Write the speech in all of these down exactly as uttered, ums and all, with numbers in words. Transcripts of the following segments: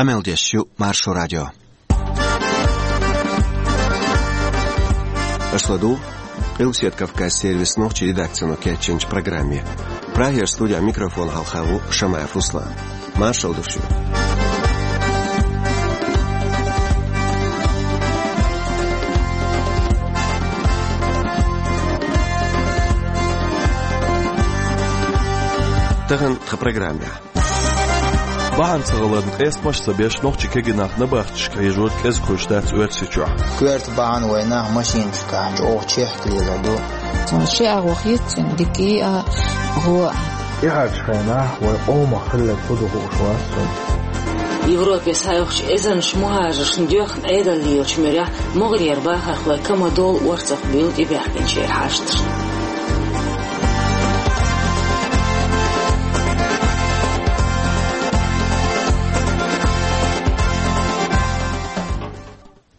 Къамел деш ю Маршо радио. Аша ладугӀу Къилбаседа Кавказан сервисан нохчийн редакцино кечйинчу программе. Прагера студехь микрофон хьалха ву Шамаев Руслан. Маршалла ду шуьга. Тахана тхан программехь. Бахьана ца хиларна, къестамаш а ца беш, нохчийн кегий нах набахташка хьежор кӀезиг хуьлуш дац Оьрсийчохь. Коьрта бахьана вайн нах машинашкахь чӀогӀа чехка лелар ду. Ши агӀо хетта цуьнан, дика а, гӀо а. ТӀаьхьарчу хенахь вайн къомах хилларг хӀун ду хууш вац цунна. Европе схьайоккхучу эзарнаш мухӀажаршна доьхна Ӏедал лелачу муьрехь могӀарера бахархой кама долу орцах буьйлу тӀебаьхкинчеран хьашташна.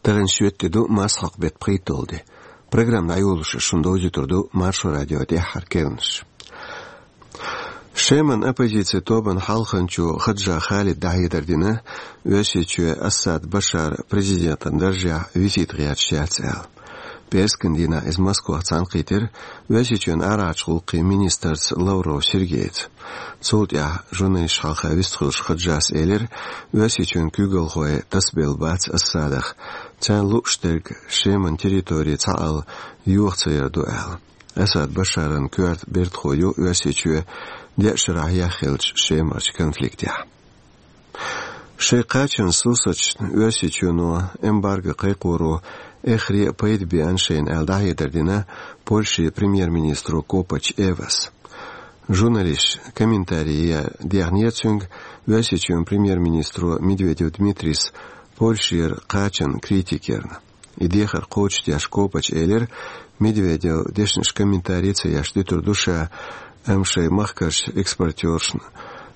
Тахана шоьтан де ду, массахьокху беттан пхийтталгӀа де. Программа дӀайолош шуна довзуьйтур ду Маршо радион тӀаьххьара керланаш. Шеман оппозицин тобанан хьалханчо Хаджа Халида дӀахьедар дина, Оьрсийчоь Асад Башар президентан даржехь висийта гӀерташ яц аьлла. ПӀераскан дийнахь иза Москвахь цхьаьнакхийтира Оьрсийчоьнан арахьарчу гӀуллакхийн министрца Лавров Сергейца. Цул тӀаьхьа журналисташна хьалха вистхуьлуш Хаджас элира, Оьрсийчоьнан куьйгалхой тасабелла бац Асадах, царна лууш дерг Шеман территори цхьаалла йоха ца яр ду аьлла. Асад Башаран коьрта бертахо ю Оьрсийчоь деа шарахь яххиллачу Шемарчу конфликтехь. Шайн кхачанан сурсаташна Оьрсийчоьно эмбарго кхайкхоро эххар а пайда беана шайна аьлла дӀахьедар дина Польшин премьер-министро Копач Эвас. Журналисташа комментарий ян дехнера цуьнга Оьрсийчоьнан премьер-министро Медведев Дмитрийс Польшера кхачанна критика ярна. И дехар кхочушдеш Копач элира, Медведевс дешнаш комментарий ца еш дуьтур ду ша, амма шайн махкарчу экспортершна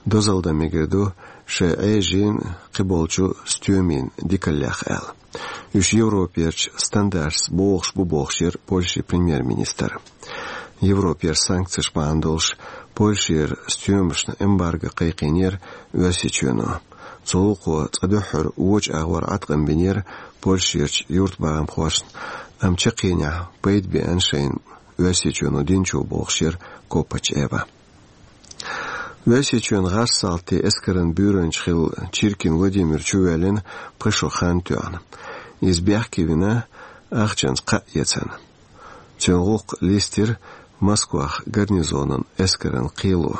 дозалла дан мегар ду шайн Ӏежин, кхиболчу стоьмийн дикаллех аьлла. Уьш Европерчу стандарташца богӀуш бу бохуш яра Польшин премьер-министр. Европера санкцеш бахьана долуш Польшера стоьмашна эмбарго кхайкхийнера Оьрсийчоьно. Цу гӀуллакхо цкъа дуьххьара вочу агӀор Ӏаткъам бинера Польшерчу юьртбахамхошна, амма чаккхенехь пайда беана шайна Оьрсийчоьно динчо бохуш яра Копач Эва. Оьрсийчоьнан гӀазкхийн эскаран буьйранча хилла Чиркин Владимир чувоьллина пхи шо хан тоьхна. Иза бехке вина, ахчанца кхаъ эцна. Цуьнан гӀуллакх листира Москвахь гарнизонан эскаран кхело.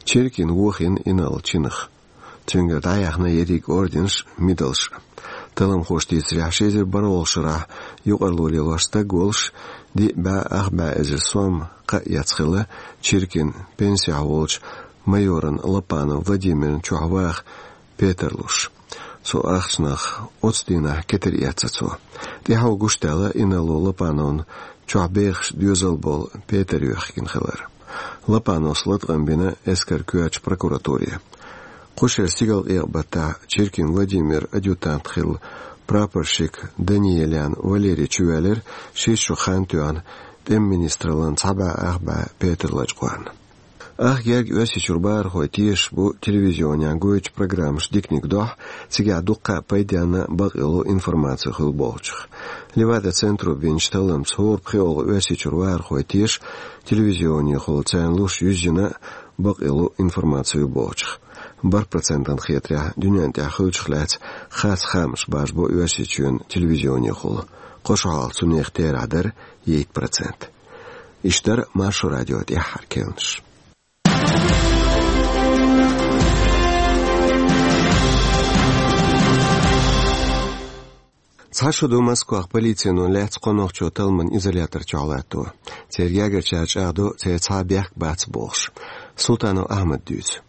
Чиркин вохийна инарла чинах. Цуьнгара дӀаяьхна ерриг орденаш а, медалаш а. Талламхоша дийцарехь, ши эзар бархӀалгӀачу шарахь юкъарло лелош стаг волуш, диъ бӀе ах бӀе эзар сом кхаъ эцна хилла Чиркин пенсехь волчу майоран Лопанов Владимирна чохь ваха петар луш. Цу ахчанах оццу дийнахь кетар эцна цо. ТӀаьхьо гуш даьлла инарло Лопановна чохь бехаш доьзал болу петар йоьхкина хилар. Лопановс латкъам бина эскаран коьртачу прокуратуре. Кху шеран стигалкъекъа баттахь Чиркин Владимиран адъютант хилла прапорщик Даниелян Валерий чувоьллира шийтта шо хан тоьхна тӀеман министраллан цхьа бӀе ах бӀе петар лачкъорна. Ах герга Оьрсийчуьра бахархой тешаш бу телевизионехь гойтучу программашна диканиг дохьа, цигахь дуккха а пайденна, бакъйолу информаци хуьлу бохучух. Левада-центро бинчу талламца хӀора пхоьалгӀа Оьрсийчуьра бахархой теша телевизионехула, царна луш юьззина а бакъйолу информаци ю бохучух. БархӀ процентана хетарехь, дуьнен тӀехь хуьлучух лаьцна харц хаамаш бажабо Оьрсийчоьнан телевизионехула. Кхо шо хьалха цунах терахь дара итт процент. Иштта дара Маршо радион тӀаьххьара керланаш. Цхьа шо ду Москвахь полицино лаьцна кхо нохчо талламан изолятор чохь латто. Церан гергарчара чӀагӀдо, церан цхьа а бехк бац бохуш. Султанов Ахьмада дуьйцу.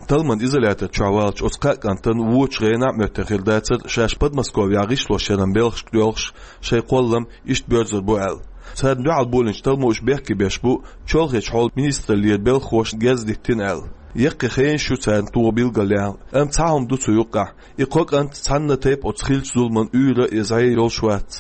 Талламан изолятор чохь валлачу оцу кхаа кӀантана вочу гӀенах а моьттина хир дацара, шаьш Подмосковьехь гӀишлошъяран белхашка доьлхуш, шайн кхоллам иштта боьрзур бу аьлла. Царна дуьхьал болийначу талламо уьш бехке беш бу чолхечу хьолан министраллера белхахошна герз диттина аьлла. Яккхий хенаш ю царна тоха билгалъяьлла, амма цхьа хӀума ду цу юккъехь: и кхо кӀант цхьанна тайпа оцу хиллачу зуламан уьйр а, зӀе а йолуш вац.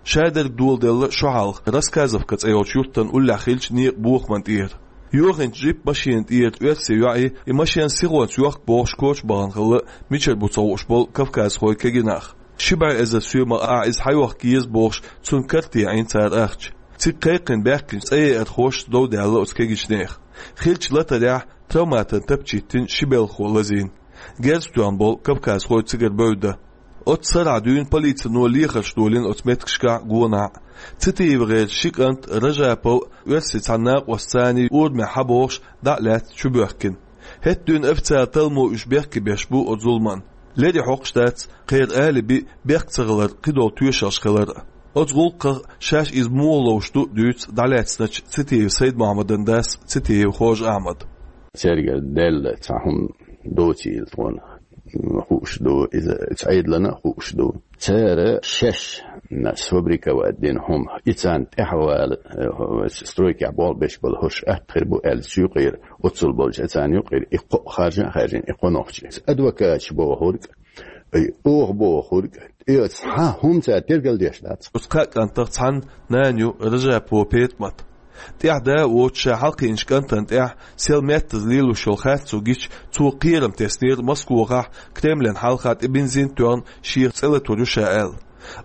Шадерг доладелла шо хьалха Рассказовка цӀе йолчу юьртана уллехь хиллачу некъан бохаман тӀера. Йохинчу джип-машенан тӀера оьрсийн йоӀ, и машен сихонца йохку бохуш коча бахана хилла, мичара бу ца хууш болу кавказхой кегий нах. Ши бӀе эзар соьмах ахь иза схьайохка еза бохуш, цунна карта яьхьна цара ахча. Цига кхайкхина баьхкинчу цӀа еархошца дов даьлла оцу кегийчу нехан. Хиллачу латарехь травматан тапча йиттина ши белхахо лазийна. Герз тоьхна болу кавказхой цигара бевдда. Оццу сарахь дуьйна полицино лехарш долийна оцу меттигашкахь а, гонахь а. ЦитиевгӀеран ши кӀант Ражапов а, оьрсийн цхьана накъостаца а урамехь схьабогӀуш, дӀа а лаьцна чубоьхкина. ХӀетахь дуьйна официалан талламо уьш бехке беш бу оцу зуламан. Леррина хьокхуш дац кхеран алиби бехк ца хилар, кхидолу тоьшаллаш хилар а. Оцу гӀуллакхах, шаьш иза муха ловш ду а дуьйцу дӀалаьцначу Цитиев Сайд-Мохьмадан дас Цитиев Хож-Ахьмада. Цергара даьлла цхьа хӀума доцийла тхуна хууш ду, иза цу Ӏедална а хууш ду. Цара шаьш сфабриковать дина хӀума, и царна тӀаьхьавала, э, стройкехь болх беш болу хӀорш атта хир бу аьлла, цу юкъера, оццул болчу царна юкъера и кхоъ харжа а хаьржина, и кхо нохчи. Адвокаташ бохург, и оха бохург, и цхьа хӀума цара тергал деш дац. Оцу кхаа кӀантах цхьанна нана ю Ражапова ПетӀамат. ТӀаьхьа да а воцуш, ша хьалакхиъначу кӀантана тӀехь сел меттаза лелош йолу харцо гича, цо кхерам теснера Москвахь Кремлан хьалха тӀе бензин тоьхна шех цӀе латур ю ша аьлла.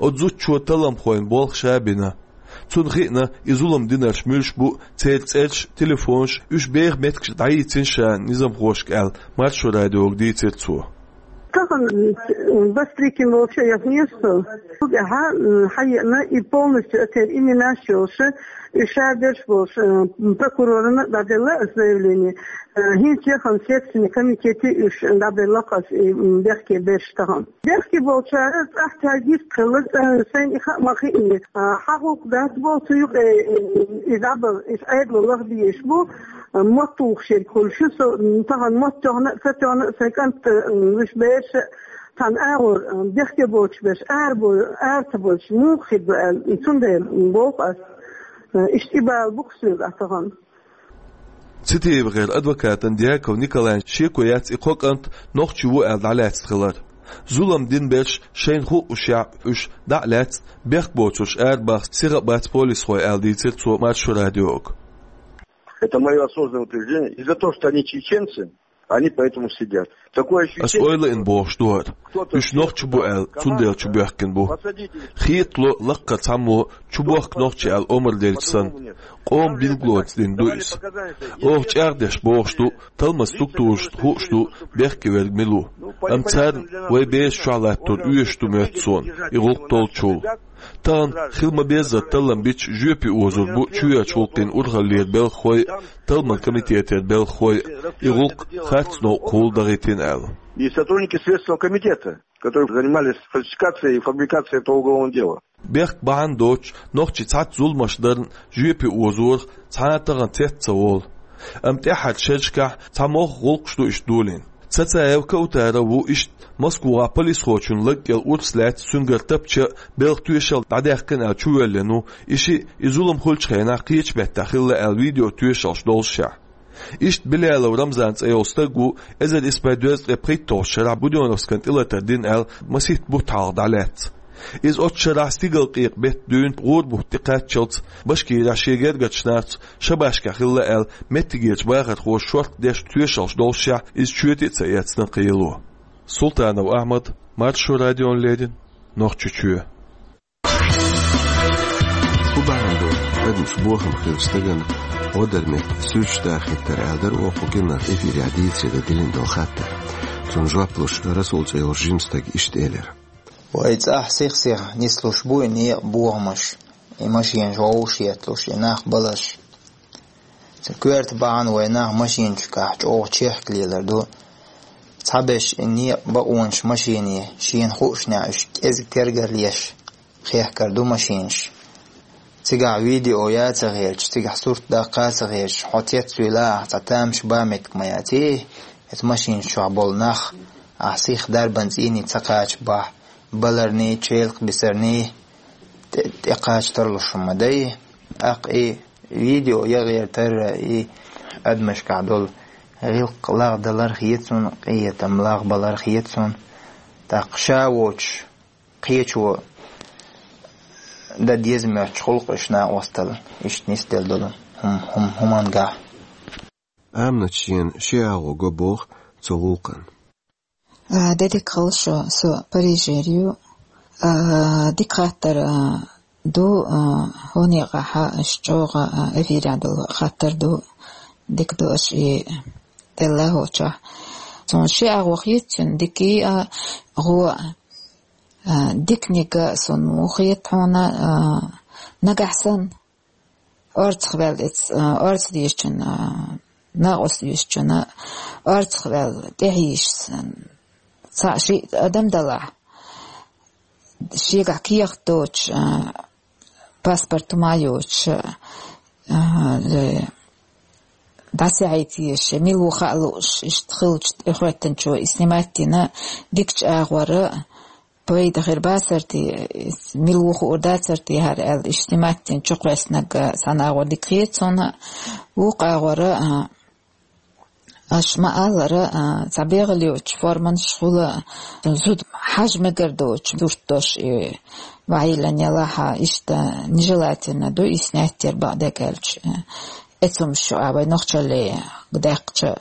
Оцу зудчо талламхойн болх ша бина. Цунна хиъна, и зулам динарш муьлш бу, церан цӀерш, телефонаш, уьш беха меттигаш дӀайийцина ша низамхошка аьлла, Маршо радиога дийцира цо. Тахана, м, Бастрыкин волчу яхнеста, цу тӀехь, м, хьаеана и полностью оцеран именаш йолуш, и ша берш болуш, м, прокурорна дӀаделла аса заявление. Э, хӀинца яхана Следственный комитете уьш дӀабелла аса и, м, бехке берш тахана. Бехке болчара цӀахь цаьрга йистхилла, э, сайна и хаа ма хиъна. А, хьан гӀуллакх дац боху цу юкъе, э, и дӀабала, и Ӏедало лаха дезаш бу. Мотт тухуш ерг хуьлуш ю со, м, тахана мотт тоьхна а, ца тоьхна а, сайн кӀант, м, вуьш бераш а, цхьана агӀор, м, бехке боцуш берш, ара бо-, ара ца боцуш, муха хир ду аьлла, цундела боху ас. Э, иштта и бала бу-кх соьга а тахана. ЦитиевгӀеран адвокатан Дьяков Николайн шеко яц и кхо кӀант нохчи ву аьлла дӀалаьцна хилар. Зулам дина берш шайна хуъушехь, уьш дӀа а лаьцна, бехк боцурш арабаха сиха а бац полисхой аьлла дийцира цо Маршо радиога. Это моё осознанное утверждение. И за то, что они чеченцы, они поэтому сидят. Такое ощущение, ас ойла ина бохуш ду хӀара. Уьш нохчи бу аьлла, цундела чубоьхкина бу. Хетало, лаккхара цхьаммо чубохку нохчи аьлла омра делча санна. Къоман билгалонца дина ду иза. Оха чӀагӀдеш бохуш ду, талламан структурашна хууш ду, бехке верг мила ву. Амма царна вай бераш чохь латтор оьшуш ду моьтту суна, и гӀуллакх толлучул. Тахана хила ма-беззара таллам бича жоьпе озор бу чоьхьарчу гӀуллакхийн урхаллера белхахой а, талламан комитетера белхахой а, и гӀуллакх харц новкъахула дахийтина аьлла. И сотрудники Следственного комитета, которые занимались фальсификацией и фабрикацией этого уголовного дела. Бехк бахьана доцуш, нохчий цхьацца зуламаш дарна жоьпе озорах цхьа а тахана цец ца волу. Амма тӀаьххьарчу шерашкахь цхьа могӀа гӀуллакхаш ду иштта долийна. Цацаев Каутара ву иштта Москвахь полисхочун лаг кӀел урс лаьцна цуьнгара тапча а, белхан тоьшалла дӀадаьккхина аьлла чувоьллина ву, и шиъ, и зулам хуьлучу хенахь кхечу меттехь хилла аьлла видео тоьшаллаш доллушехь. Иштта Билялов Рамзан цӀе йолу стаг ву, эзар исс бӀе дезткъе пхийтталгӀачу шарахь Будённовскан тӀелатар дина аьлла, масийтта бутт хьалха дӀалаьцна. Иза оцу шарахь стигалкъекъа беттан дуьйна гӀура бутт тӀекхаччалц Башкирехь шен гергарчу нахаца шабашкахь хилла аьлла, меттигерчу бахархоша шорта деш тоьшаллаш доллушехь, иза чоьте а ца эцна кхело. Султанов Ахьмад, Маршо радиона леррина, Нохчийчоь. ХӀун бахьана ду адамаш бохам хилла стагана гӀо дар метта суьрташ дахийтар аьлла дара оха кху киннах эфирехь дийцаре диллина долу хаттар. Цунна жоп луш Расул цӀе йолчу жима стага иштта элира. Вай цӀахь сих-сиха нислуш бу и некъа бохамаш, и машенаш вовшахъетталуш, и нах баларш. Цу коьрта бахьана вай нах машинашкахь чӀогӀа чехка лелар ду. Цхьаберш и некъа бакъонаш машине, шена хуушшехь уьш кӀезиг тергал еш, хехкар ду машинаш. Цигахь видео ян ца хеташ, цигахь сурт даккха а ца хеташ, хьо цецвуьйла ахь, цхьа тамаш бан меттиг ма яц и, эцу машинаш чохь болу нах, ахь сих дарбан цӀийне ца кхачабахь, баларний, челакх бисарний, тӀе-, тӀекхача тарлуш хӀума дай. ТӀаккха и видео ян гӀертар, и адамашкахь долу гӀиллакх лагӀдалар хета суна, къинхетам лагӀбалар хета суна. ТӀаккха ша воцуш, кхечо дан деза моьттуш гӀуллакхаш накъостал иштта нисделла долу хӀум-, хӀум-, хӀумангахь. Аминат шена ши агӀо го боху цу гӀуллакхана. А, де дика хуьлда шун, со Парижера ю. А, дика хаттар, а, ду, а, хӀокху некъахь аша чӀогӀа, а, эфирехь долу хаттар ду. Дика ду аша и делла хӀокху чохь. Суна ши агӀо хета цуьнан, дика а, гӀо а. А, диканиг а суна хета хьуна, а, нагахь санна орцах ваьлла, эц-, а, орца дезачунна, а, накъост дезачунна орцах ваьлла, тӀехьийша санна, цхьаъ шиъ адам далахь, шегахь кехат доцуш, а, паспорт хӀума а йоцуш, а, э, дӀасаьхьийта езаш, мила ву хаа лууш, иштта хиллачу тӀехӀоьттинчо и снимать дина, дикачу агӀора, пайда хир бацара те, мила ву хуур дацара те хӀара аьлла, иштта снимать дина чукхоьссинарг цхьана агӀор дика хета суна, вукху агӀора, а, аша ма-аллара, а, цхьа бегӀалла йоцуш форманаш хуьлу, зуда хьажа мегар доцуш сурт долуш и ваьлла ялахь, иштта нежелательно ду и снять яр бакъдерг аьлча. Эцомаш ю а вай нохчалле даьккхича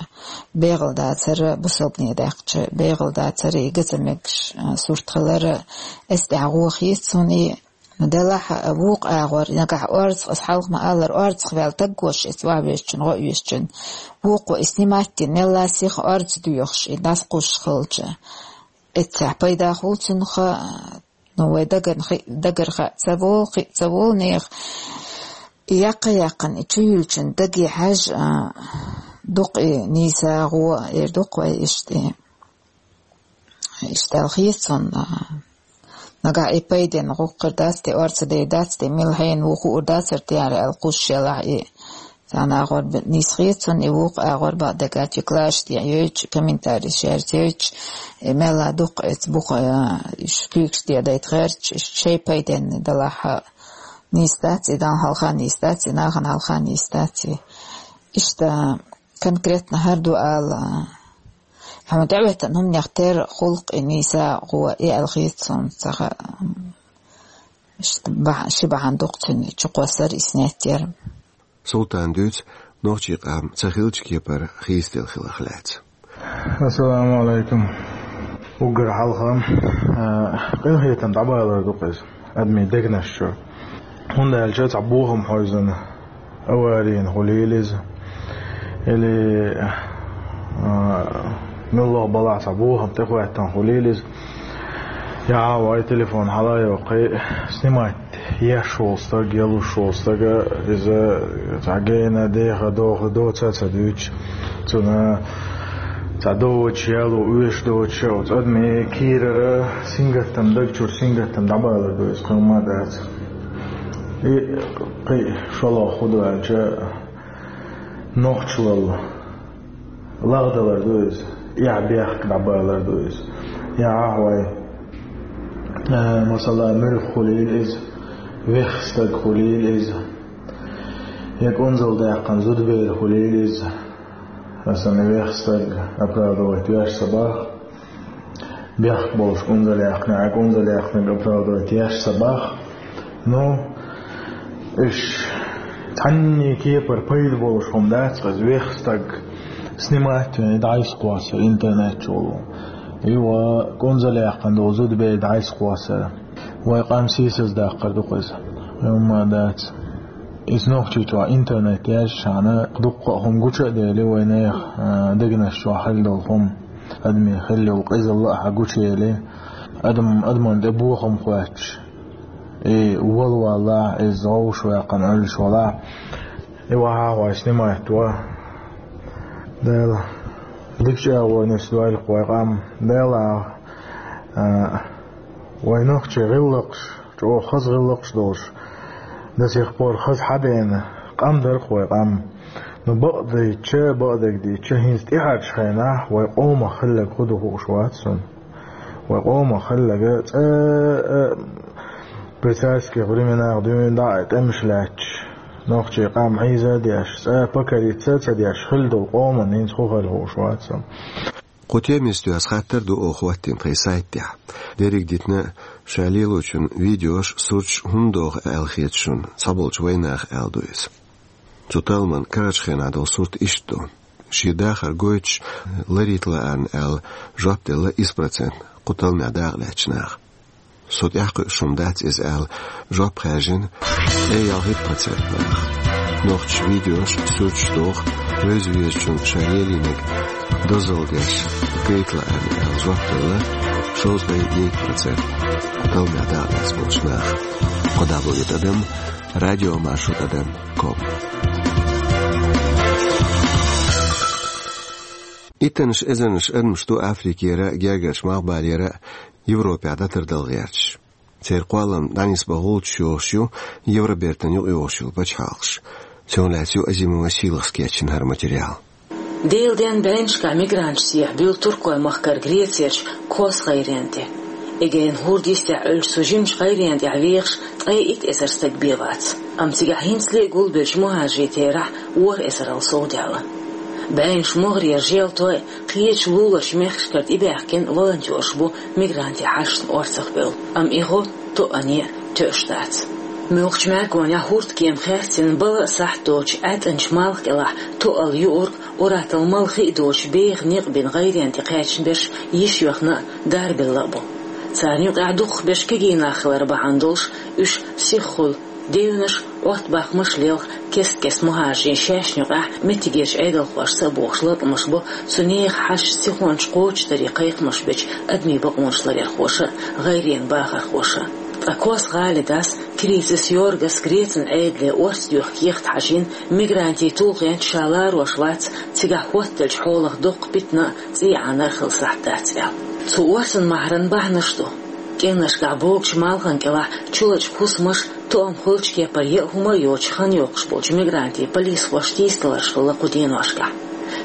бегӀалла дацара, бусалбане даьккхича бегӀалла дацара, и ган ца мегаш, а, сурт хилара, эс тӀехь гӀо хета суна и. Делахь а вукху агӀор, нагахь орцах, аса хьалха ма-аллара, орцах ваьлла стаг волуш, эца ваха везачун, гӀо а везачун, вукхо и снимать дина, мелла сиха орца доьхуш, и дӀасакхуссуш хилча. Эццехь пайда хуьлу цунах, ну, вай дагар хи-, дагар хаа ца волу, хи ца волу нехан. И яккха-яьккхина, и чу юьллучун даге хьаьжжа, а, дукха и нийса гӀо, эр дукха вай иштта. Иштта аьлла хета суна, а, нагахь и пайденна гӀуллакх хир дац те, орца дер дац те, мила хьенан ву хуур дацара те хӀара аьлла кхуссуш ялахь и. Цхьана агӀор б-, нийса хета суна, и вукху агӀор бакъдерг аьлча, класс тӀе йойтуш, комментарий шаьрца йойтуш, и мелла дукха эца буха, а, уьш куьйгаш тӀе дайта гӀерташ, уьш шайн пайденна далахь а, нийса дац и, Далла хьалха нийса дац и, нахана хьалха нийса дац и. Иштта конкретно хӀара ду ала, хьуна тӀеӀоьттина хӀуманех тера гӀуллакх и нийса гӀо и аьлла хета суна, ца хаьа. Иштта бахьа-, ши бахьана ду-кх цуьнан чукхоссар, и снять яр. Султана дуьйцу нохчийн къам ца хиллачу кепара хийцаделла хиларх лаьцна. Ассаламу алейкум. Уггар хьалха, а, къинхетам дӀабалар ду-кх иза адамийн дегнаш чу. ХӀунда аьлча цхьа бохам хьойзана, аварийна хуьлийла иза, или, а, муьлхха балахь цхьа бохам тӀехӀоьттина хуьлийла иза. Я, вай телефон хьала а йоккхий, снимать еш волу стаг, ялуш волу стага, иза цхьа гена, деха, доха, доца а ца дуьйцуш, цунна цхьа доцуш яло, оьшуш доцуш, оцу адамийн кийрара сингаттам, даг чуьра сингаттам дӀабалар ду иза, кхин хӀумма а дац. И кхин шолгӀа хӀун ду аьлча, нохчалла лагӀдалар ду иза, эхь-бехк дӀабалар ду иза. Я ахь вай, э, масала, муьлхха хуьлийла иза, вехха стаг хуьлийла иза, я кӀунзалдаьккхина зудабер хуьлийла иза, аса вехха стаг оправдывать веш ца боху. Бехк болуш кӀунзалъяьккхинарг, кӀунзалъяьккхинарг оправдывать еш ца боху. Ну, уьш цхьанний кепара пайда болуш хӀума дац-кх иза, вехха стаг снимать вина дӀасакхоссар интернет чу волу. И ва кӀунзалъяьккхина долу зудабер дӀасакхоссар. Вай къам сийсаздаккхар ду-кх иза. Хьума дац. Иза нохчийчохь интернет яьржачхьана дуккха а хӀума гуча а дели, вайнехан, а, дегнаш чохь хилла долу хӀума. Адамийн хилла йолу къизалла а хьан гучуели, адам, адаман тӀе бохам хоьттуш, и валваллахь, иза гӀовш ваьккхина Ӏуьллуш валахь, и вахьа а вай снимать ван. Дела, дикачу агӀор нисдойла-кх вай къам. Дела, а, вай нохчийн гӀиллакхаш, чӀогӀа хаза гӀиллакхаш долуш, до сих пор хаза хьадена къам дара-кх вай къам. Ну, бакъдайча, бакъдерг дийча, хӀинца тӀаьхьарчу хенахь вай къомах хилларг хӀун ду хууш вац суна. Вай къомах хилларг цкъа а при царских временах дуьйна дӀа а тӀемаш лаьтташ, нохчийн къам хьийза а деш, цкъа а покориться а ца деш хилла долу къоман хӀинца хӀун хилла хууш вац суна. Кху темица доьзна хаттар ду оха хӀоттийна тхайн сайт тӀехь. Дерриг а дитина, ша лелочун видеош, сурташ хӀунда доху аьлла хета шуна цхьаболчу вайнаха, аьлла ду иза. Цу талламан карарчу хенахь долу сурт иштта ду. шен дахар гойтуш ларийта лаьара аьлла жоп делла исс процент кху талламехь дакъа лаьцначу наха. Со тӀаьхьакхуьуш хӀума дац иза аьлла, жоп хаьржина ялхитта процент наха. Нохчаша видеош, суьрташ доху, вевза-везачунна ша лелийнарг дозалла деш гайта лаьара аьлла жоп делла шовзткъе итт процент кху талламехь дакъа лаьцна болчу наха. Кхо дабл-ю тӀадам радиомаршо тӀадам ком. Иттаннаш эзарнаш адамаш ду Африкера а, Гергарчу Малхбалера а Европехь дӀатардала гӀерташ. Церан кхоллам дӀанисбан гӀулчаш йохуш ю Евробертан юкъайогӀуш йолу пачхьалкхаш. Цунах лаьцна ю Азимова Сийлахьас кечйина хӀара материал. Делан денна бӀеннашкахь мигранташ сехьабуьйлу Туркойн-махкара Грецерчу Кос гӀайренна тӀе. Эгейн хӀордан йистехь Ӏуьллучу цу жимачу гӀайренна тӀехь вехаш ткъе итт эзар стаг бен вац. Амма цигахь хӀинцале а гулбеллачу мухӀажарийн терахь ворхӀ эзарал совдаьлла. БӀеннаш могӀарера желтой, кхечу луларчу мехкашкара тӀебаьхкина волонтераш бу мигрантийн хьашташна орцахбевлла, амма и гӀо тоъане а тоьуш дац. Муьлххачу мӀаьргонехь хӀордкема хаьрцина бала а сахьт доцуш Ӏаьткъинчу малх кӀелахь тоъал юург, уьттазза мала хи а доцуш беха некъ бина гӀайренна тӀе кхаьчна берш йиш йоьхна а, дарбелла а бу. Царна юкъахь дукхахберш кегий нах хилар бахьана долуш, уьш сиххуьлу, девнаш, Ӏоттабаккхамаш лелха, кест-кеста мухӀажарийн шаьшна юкъахь меттигерчу Ӏедалхошца а бохуш латкъамаш бо цу нехан хьашташна сихонца кхочушдаре кхайкхамаш бечу адамийн бакъонаш ларъярхоша а, гӀайренан бахархоша а. Ткъа Кос гӀалин дас Кирицис Йоргас Грецин Ӏедале орца доьху кехат хьажийна, мигрантийн тулгӀенца ша ларош вац, цигахь хӀоттаделлачу хьолах доккха питана а, цӀий Ӏанар а хила сахьт дац аьлла. Цу орцан махьаран бахьанаш ду. КӀирнашкахь богучу малхана кӀелахь чулачу хӀусамаш, тоам хуьлучу кепара яа хӀума а йоцуш хан йоккхуш болчу мигрантийн полисхошна тийсадаларш хилла кху деношкахь.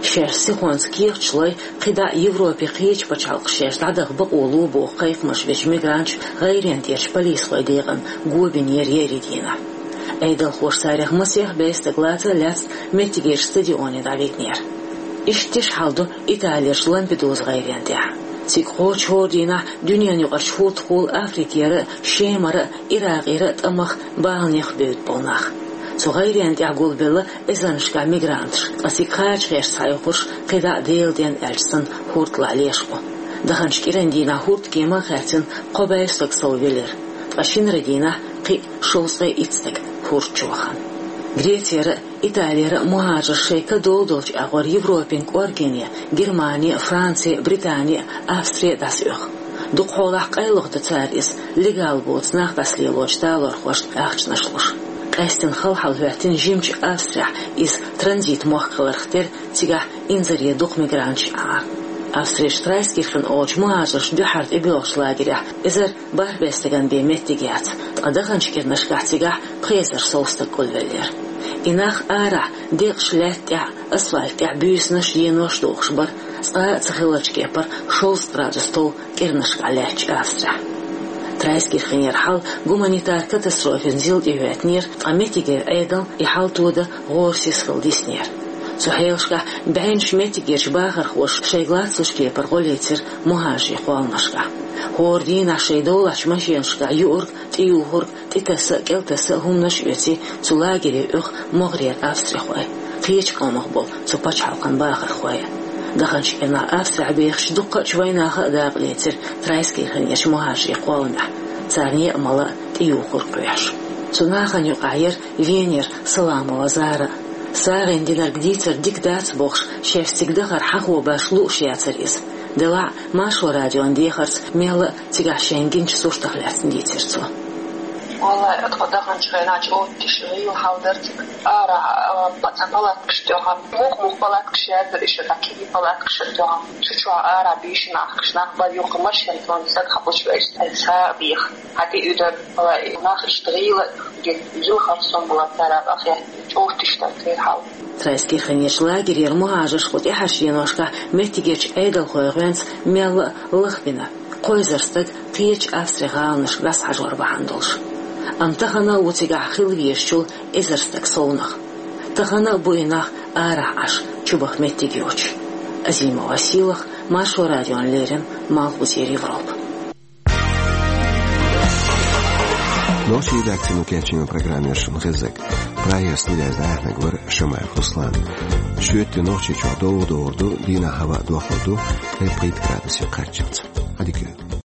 Шаьш сихонца кехаташ лой, кхидӀа а Европин кхечу пачхьалкхаша шаьш дӀадаха бакъо ло боху кхайкхамаш бечу мигранташа гӀайренна тӀерачу полисхойн декъана го бинера еарин дийнахь. Ӏедалхоша царех масех бӀе стаг лаца а лаьцна меттигерчу стадионе дӀавигнера. Иштта тиша хьал ду Италерчу Лампедуза гӀайренна тӀехь. Цига кхочуш хӀора дийнахь дуьненаюкъарчу хӀордахула Африкера а, Шемара а, Иракъера а тӀамах, баланех бевдда болу нах. Цу гӀайренна тӀехь гулбелла эзарнашкахь мигранташ, ткъа цига кхачахьерш схьаоьхурш кхидӀа а Делан денна аьлча санна хӀордалахь леш бу. Даханчу кӀиран дийнахь хӀордкема а хаьрцина кхо бӀе стаг соввелира, ткъа шинарин дийнахь кхин а шовзткъе итт стаг хӀорда чу вахана. Грецера а, Италера а мухӀажарш шайн ка долу долчу агӀор Европин кӀоргене, Германи а, Франци а, Британи а, Австри а дӀасаоьху. Дукха хьолахь къайлаха до цара иза, легал боцу нах дӀасалелочу талорхошна ахчанаш луш. Къаьстина хала хьал хӀоьттина жимачу Австрехь, иза транзит-мохк хиларх терра, цигахь инзаре дукха мигранташ Ӏа. Австрерчу Трайскирхен олучу мухӀажаршна дуьххьара тӀебоьлхучу лагерехь эзар бархӀ бӀе стагана бен меттиг яц, ткъа даханчу кӀирнашкахь цигахь пхи эзар сов стаг гулвеллера. И нах арахь, декъаш лаьтта тӀехь, асфальт тӀехь буьйсанаш, енош дохуш бара, цкъа а ца хиллачу кепара шовзткъа градус тов кӀирнашкахь лаьттачу Австрехь. Трайскирхенера хьал гуманитар катастрофина зил тӀехӀоьттинера, ткъа меттигера Ӏедал и хьал тодан гӀора сиз хила диснера. Цу хьелашкахь бӀеннаш меттигерчу бахархоша шайга лацлуш кепара гӀо лецира мухӀажарийн кхолламашкахь. ХӀора дийнахь шайн довлачу машенашкахь юург, тӀеюхург, тӀетаса а, кӀелтаса а хӀуманаш а оьций цу лагере оьху могӀарера австрихой, кхечу къомах болу цу пачхьалкхан бахархой а. Даханчу кӀирнахь Австрехь бехачу дуккхачу вайнаха а дакъа лецира Трайскирхенерчу мухӀажарийн кхолламехь, царна яа-мала а тӀеюхург кхоьхьуш. Цу нахана юкъахь яра Венера Саламова Зара а. СагӀина динарг дийцар дика дац бохуш, шаьш цига дахар хьахо баш лууш яцара иза. Делахь а, Маршо радион дехарца мелла а цигахь шайна гиначу суртах лаьцна дийцира цо. Валлай, тхо даханчу хенахь чӀогӀа тиша гӀийла хьал дара цига. Ара, а, па-, цхьа палаткаш тоьхна. Муха-муха палаткаш яздара иштта, кегий палаткаш а тоьхна. Цу чохь ара бийшина ахкаш нах бара, юха машен тӀехь стаг хьакхуьуш вайша, цхьа а беха. Хьан тӀе уьдара, валлай, нах иштта гӀийла, гила харцон бу цара ахьа, чӀогӀа тиша дара церан хьал. Трайскирхенерчу лагерера мухӀажарш кху тӀаьхьарчу деношкахь меттигерчу Ӏедалхойн гӀоьнца мелла а лахбина, кхо эзар стаг кхечу Австрин гӀаланашка дӀасахьажор бахьана долуш. Амма тахана а ву цигахь хила везачул эзар стаг совнах. Тахана а бу и нах арахь Ӏаш, чубаха меттиг йоцуш. Азимова Сийлахь, Маршо радиона леррина, Малхбузера Европа. Нохчийн редакцино кечйина программа яра шуна хезнарг. Прагера студияйс дӀаяхьнарг вара Шамаев Руслан. Шоьтан Нохчийчохь довха догӀур ду, дийнахь хӀаваъ дохлур ду, ткъе пхийтта градусе кхаччалц. Ӏадика йойла.